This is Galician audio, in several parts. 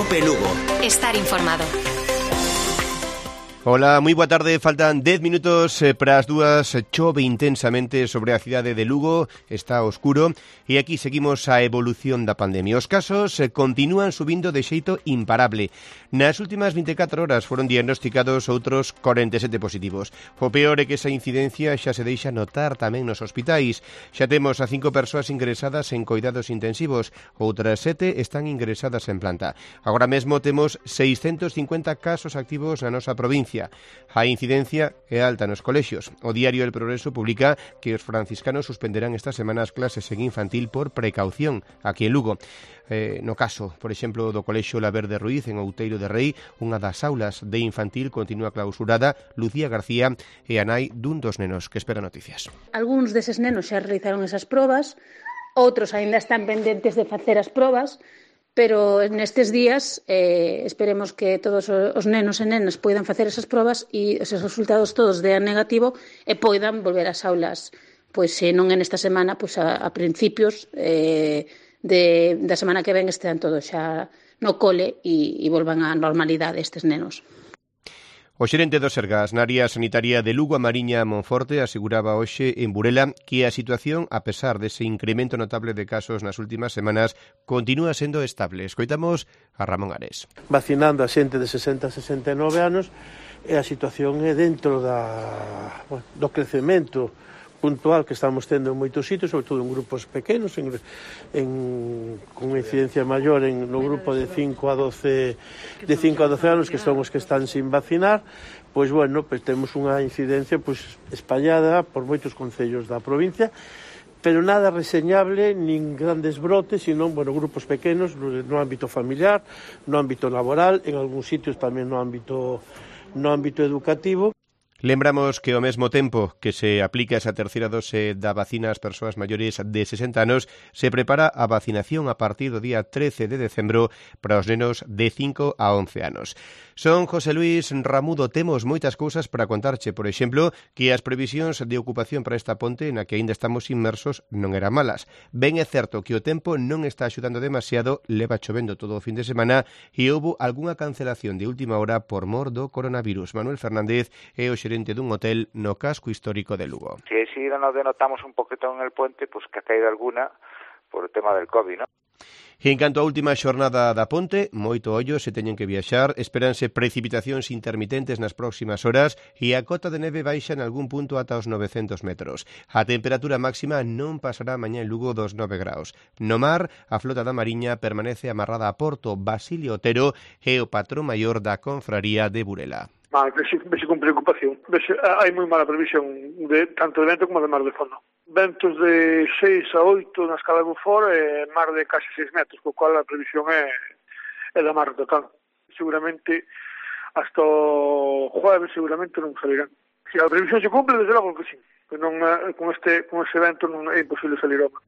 Cope Lugo. Estar informado. Ola, moi boa tarde, faltan 10 minutos para as dúas, chove intensamente sobre a cidade de Lugo, está oscuro e aquí seguimos a evolución da pandemia. Os casos continúan subindo de xeito imparable. Nas últimas 24 horas foron diagnosticados outros 47 positivos. O peor é que esa incidencia xa se deixa notar tamén nos hospitais. Xa temos a 5 persoas ingresadas en coidados intensivos, outras 7 están ingresadas en planta. Agora mesmo temos 650 casos activos na nosa provincia. A incidencia é alta nos colexios. O diario El Progreso publica que os franciscanos suspenderán esta semana as clases en infantil por precaución aquí en Lugo. No caso, por exemplo, do colexio Laverde Ruiz en Outeiro de Rei, unha das aulas de infantil continúa clausurada. Lucía García é a nai dun dos nenos que espera noticias. Algúns deses nenos xa realizaron esas probas, outros aínda están pendentes de facer as probas, pero nestes días esperemos que todos os nenos e nenas poidan facer esas probas e esos resultados todos dean negativo e poidan volver ás aulas, pois se non en esta semana, pois a principios da semana que ven estean todos xa no cole e volvan á normalidade estes nenos. O xerente do Sergas na área sanitaria de Lugo, a Mariña Monforte, aseguraba hoxe en Burela que a situación, a pesar dese incremento notable de casos nas últimas semanas, continúa sendo estable. Escoitamos a Ramón Ares. Vacinando a xente de 60 a 69 anos e a situación é dentro do crecemento puntual que estamos tendo en moitos sitios, sobre todo en grupos pequenos, con incidencia maior no grupo de 5 a 12 anos, que son os que están sin vacinar. Pois temos unha incidencia espallada por moitos concellos da provincia, pero nada reseñable, nin grandes brotes, sino grupos pequenos no ámbito familiar, no ámbito laboral, en algúns sitios tamén no ámbito educativo. Lembramos que ao mesmo tempo que se aplica esa terceira dose da vacina ás persoas maiores de 60 anos, se prepara a vacinación a partir do día 13 de decembro para os nenos de 5 a 11 anos. Son José Luis Ramudo, temos moitas cousas para contarche, por exemplo, que as previsións de ocupación para esta ponte na que aínda estamos inmersos non eran malas. Ben é certo que o tempo non está axudando demasiado, leva chovendo todo o fin de semana e houbo algunha cancelación de última hora por mor do coronavirus. Manuel Fernández é o xerente dun hotel no casco histórico de Lugo. Si nos denotamos un poquito en el puente, pues que ha caído alguna por el tema del COVID, ¿no? E en canto á última xornada da ponte, moito ollo se teñen que viaxar, esperanse precipitacións intermitentes nas próximas horas e a cota de neve baixa en algún punto ata os 900 metros. A temperatura máxima non pasará mañá en Lugo dos 9 graus. No mar, a flota da Mariña permanece amarrada a Porto. Basilio Otero é o patrón maior da confraría de Burela. Vexo con preocupación. Hai moi mala previsión tanto de vento como de mar de fondo. Ventos de 6 a 8 na escala de Bufor e mar de casi 6 metros, co cual a previsión é da mar total. Seguramente hasta o jueves seguramente non salirán. Se a previsión se cumple, desde logo que sí. Non, con ese vento non é imposible salir ao mar.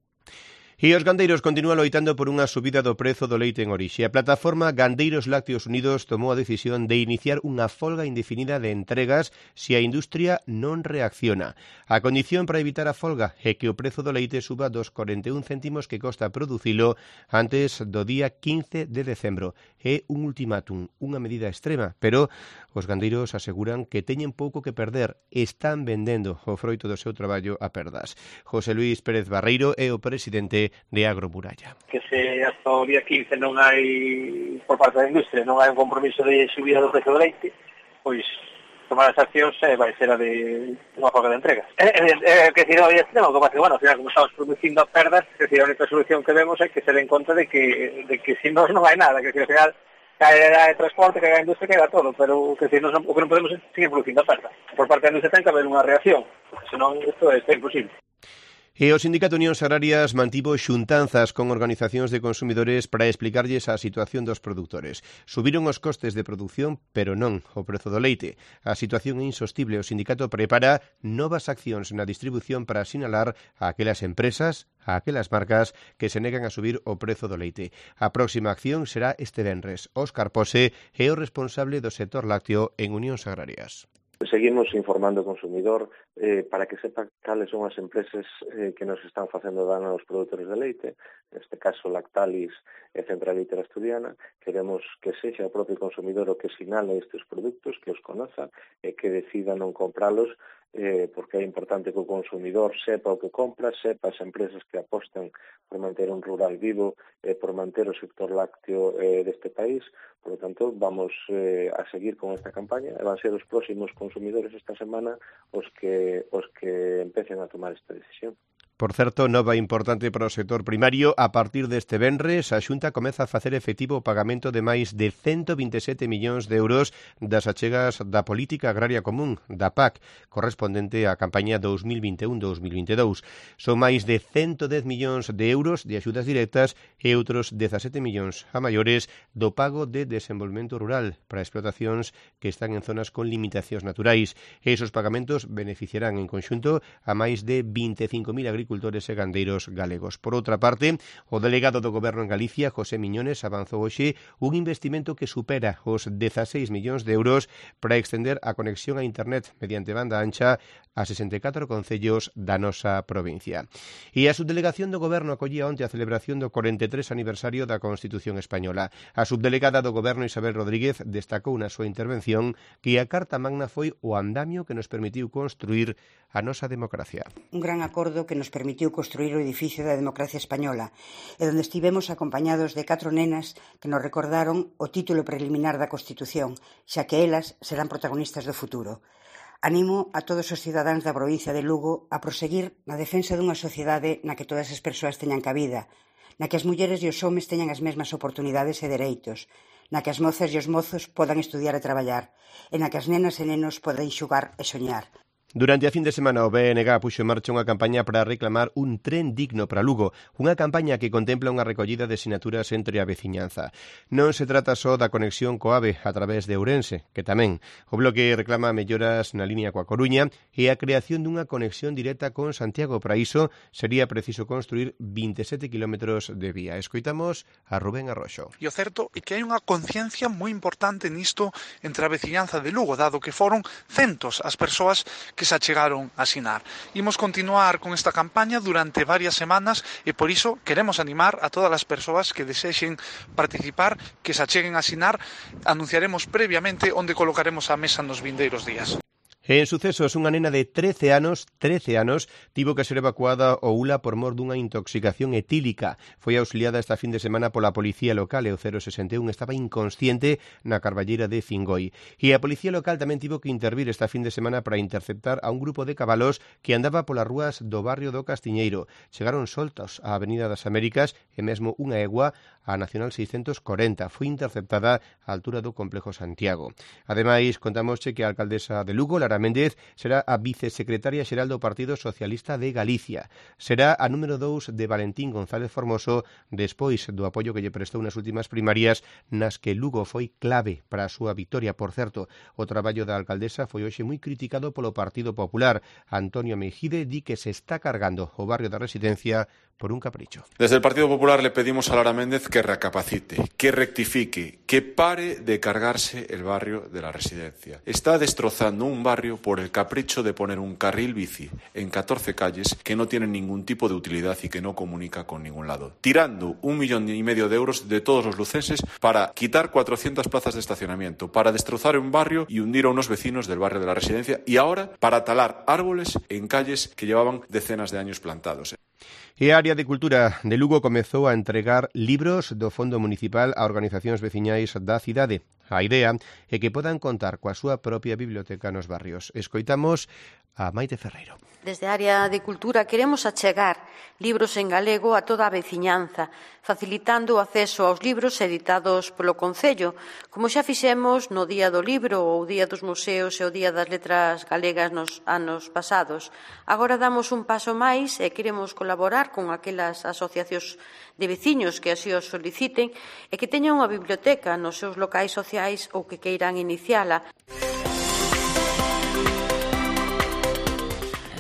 E os gandeiros continúan loitando por unha subida do prezo do leite en orixe. A plataforma Gandeiros Lácteos Unidos tomou a decisión de iniciar unha folga indefinida de entregas se a industria non reacciona. A condición para evitar a folga é que o prezo do leite suba dos 41 céntimos que costa producilo antes do día 15 de decembro. É un ultimátum, unha medida extrema, pero os gandeiros aseguran que teñen pouco que perder, están vendendo o froito do seu traballo a perdas. José Luis Pérez Barreiro é o presidente de Agromuralla. Que se hasta o día 15 non hai, por parte da industria, non hai un compromiso de subida do precio do leite, pois tomar as accións vai ser a de unha folga de entregas. Que se non había extremo, que pasa que, ao final, como estamos producindo a perdas, que a única solución que vemos é que se den conta de que se non hai nada, que ao final caerá de transporte, caerá a industria, caerá todo, pero que se o que non podemos é seguir producindo a perdas. Por parte da industria ten que haber unha reacción, porque senón isto é imposible. E o Sindicato Unións Agrarias mantivo xuntanzas con organizacións de consumidores para explicarlles a situación dos produtores. Subiron os costes de produción, pero non o prezo do leite. A situación é insostible. O sindicato prepara novas accións na distribución para sinalar a aquelas empresas, a aquelas marcas que se negan a subir o prezo do leite. A próxima acción será este venres. Óscar Pose é o responsable do sector lácteo en Unións Agrarias. Seguimos informando ao consumidor para que sepa cales son as empresas que nos están facendo dano aos produtores de leite, neste caso Lactalis e Centralita Asturiana. Queremos que sexa o propio consumidor o que sinale estes produtos, que os conoza e que decida non compralos, porque é importante que o consumidor sepa o que compra, sepa as empresas que apostan por manter un rural vivo e por manter o sector lácteo deste país. Por lo tanto, vamos a seguir con esta campaña e van ser os próximos consumidores esta semana os que empecen a tomar esta decisión. Por certo, nova importante para o sector primario. A partir deste venres, a Xunta comeza a facer efectivo o pagamento de máis de 127 millóns de euros das achegas da Política Agraria Común, da PAC, correspondente á campaña 2021-2022. Son máis de 110 millóns de euros de axudas directas e outros 17 millóns a maiores do pago de desenvolvemento rural para explotacións que están en zonas con limitacións naturais. E esos pagamentos beneficiarán en conxunto a máis de 25.000 agricultores e gandeiros galegos. Por outra parte, o delegado do Goberno en Galicia, José Miñones, avanzou hoxe un investimento que supera os 16 millóns de euros para extender a conexión a internet mediante banda ancha a 64 concellos da nosa provincia. E a subdelegación do Goberno acollía onte a celebración do 43 aniversario da Constitución Española. A subdelegada do Goberno, Isabel Rodríguez, destacou na súa intervención que a Carta Magna foi o andamio que nos permitiu construir a nosa democracia. Un gran acordo que nos permitiu construir o edificio da democracia española e onde estivemos acompañados de 4 nenas que nos recordaron o título preliminar da Constitución, xa que elas serán protagonistas do futuro. Animo a todos os cidadáns da provincia de Lugo a proseguir na defensa dunha sociedade na que todas as persoas teñan cabida, na que as mulleres e os homes teñan as mesmas oportunidades e dereitos, na que as mozas e os mozos podan estudiar e traballar, e na que as nenas e nenos poden xogar e soñar. Durante a fin de semana o BNG puxo en marcha unha campaña para reclamar un tren digno para Lugo, unha campaña que contempla unha recollida de sinaturas entre a veciñanza. Non se trata só da conexión coa AVE a través de Ourense, que tamén. O bloque reclama melloras na línea coa Coruña e a creación dunha conexión directa con Santiago. Para iso sería preciso construir 27 kilómetros de vía. Escoitamos a Rubén Arroxo. E o certo é que hai unha conciencia moi importante nisto entre a veciñanza de Lugo, dado que foron centos as persoas que se achegaron a asinar. Imos continuar con esta campaña durante varias semanas e por iso queremos animar a todas as persoas que desexen participar, que se acheguen a asinar. Anunciaremos previamente onde colocaremos a mesa nos vindeiros días. En sucesos, unha nena de 13 anos, tivo que ser evacuada ao ULA por mor dunha intoxicación etílica. Foi auxiliada esta fin de semana pola policía local e o 061 estaba inconsciente na Carballeira de Fingoi. E a policía local tamén tivo que intervir esta fin de semana para interceptar a un grupo de cabalos que andaba polas rúas do barrio do Castiñeiro. Chegaron soltos á Avenida das Américas e mesmo unha egua a Nacional 640. Foi interceptada á altura do Complejo Santiago. Ademais, contamosche que a alcaldesa de Lugo, Lara Méndez, será a vicesecretaria xeral do Partido Socialista de Galicia. Será a número 2 de Valentín González Formoso despois do apoio que lle prestou nas últimas primarias nas que Lugo foi clave para a súa victoria. Por certo, o traballo da alcaldesa foi hoxe moi criticado polo Partido Popular. Antonio Mejide di que se está cargando o barrio da Residencia por un capricho. Desde el Partido Popular le pedimos a Lara Méndez que recapacite, que rectifique, que pare de cargarse el barrio de la Residencia. Está destrozando un barrio por el capricho de poner un carril bici en 14 calles que no tienen ningún tipo de utilidad y que no comunica con ningún lado. Tirando 1,5 millones de euros de todos los lucenses para quitar 400 plazas de estacionamiento, para destrozar un barrio y hundir a unos vecinos del barrio de la Residencia y ahora para talar árboles en calles que llevaban decenas de años plantados. E a área de cultura de Lugo comezou a entregar libros do Fondo Municipal a organizacións veciñais da cidade. A idea é que podan contar coa súa propia biblioteca nos barrios. Escoitamos a Maite Ferreiro. Desde a área de cultura queremos achegar libros en galego a toda a veciñanza, facilitando o acceso aos libros editados polo Concello, como xa fixemos no Día do Libro ou Día dos Museos e o Día das Letras Galegas nos anos pasados. Agora damos un paso máis e queremos colaborar con aquelas asociacións de veciños que así os soliciten e que teñan unha biblioteca nos seus locais sociais ou que queiran iniciala.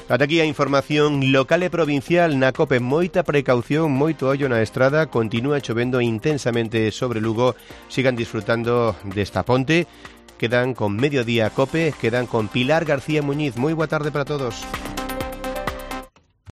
Ata aquí a información local e provincial. Na COPE moita precaución, moito ollo na estrada. Continúa chovendo intensamente sobre Lugo. Sigan disfrutando desta ponte quedan con Mediodía Cope, quedan con Pilar García Muñiz. Moi boa tarde para todos.